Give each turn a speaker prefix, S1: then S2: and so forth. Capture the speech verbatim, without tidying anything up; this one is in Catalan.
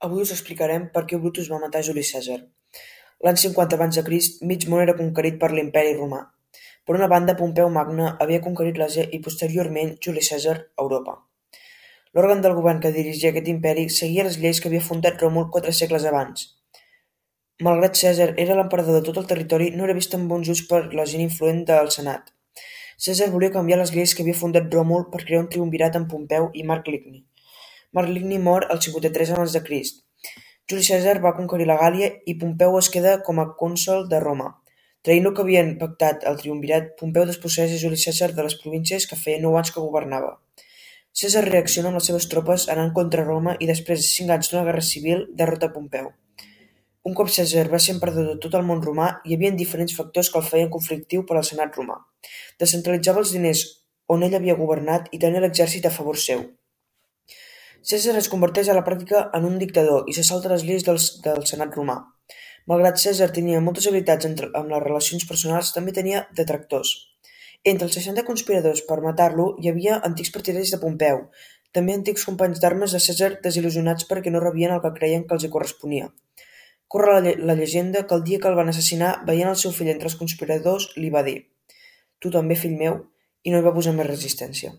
S1: Avui us explicarem per què Brutus va matar Juli Cèsar. L'any cinquanta abans de Crist, mig món era conquerit per l'Imperi Romà. Per una banda, Pompeu Magne havia conquerit l'Àsia i posteriorment Juli Cèsar Europa. L'òrgan del govern que dirigia aquest imperi seguia les lleis que havia fundat Ròmul quatre segles abans. Malgrat Cèsar era l'emperador de tot el territori, no era vist amb bons ulls per la gent influent del Senat. Cèsar volia canviar les lleis que havia fundat Ròmul per crear un triumvirat amb Pompeu i Marc Licni. Marc Licni mor al cinquanta-tres abans de Crist. Juli Cèsar va conquerir la Gàl·lia i Pompeu es queda com a cònsol de Roma. Traint el que havien pactat el triumvirat, Pompeu desposseeix a Juli Cèsar de les províncies que feia nou anys que governava. Cèsar reacciona amb les seves tropes anant contra Roma i després de cinc anys d'una guerra civil derrota Pompeu. Un cop Cèsar va ser emperador de tot el món romà, hi havia diferents factors que el feien conflictiu per al senat romà. Descentralitzava els diners on ell havia governat i tenia l'exèrcit a favor seu. Cèsar es converteix a la pràctica en un dictador i se salta les lleis del, del senat romà. Malgrat Cèsar tenia moltes habilitats entre, amb les relacions personals, també tenia detractors. Entre els seixanta conspiradors per matar-lo hi havia antics partidaris de Pompeu, també antics companys d'armes de Cèsar desil·lusionats perquè no rebien el que creien que els hi corresponia. Corre la, la llegenda que el dia que el van assassinar, veient el seu fill entre els conspiradors, li va dir: «Tu també, fill meu», i no hi va posar més resistència.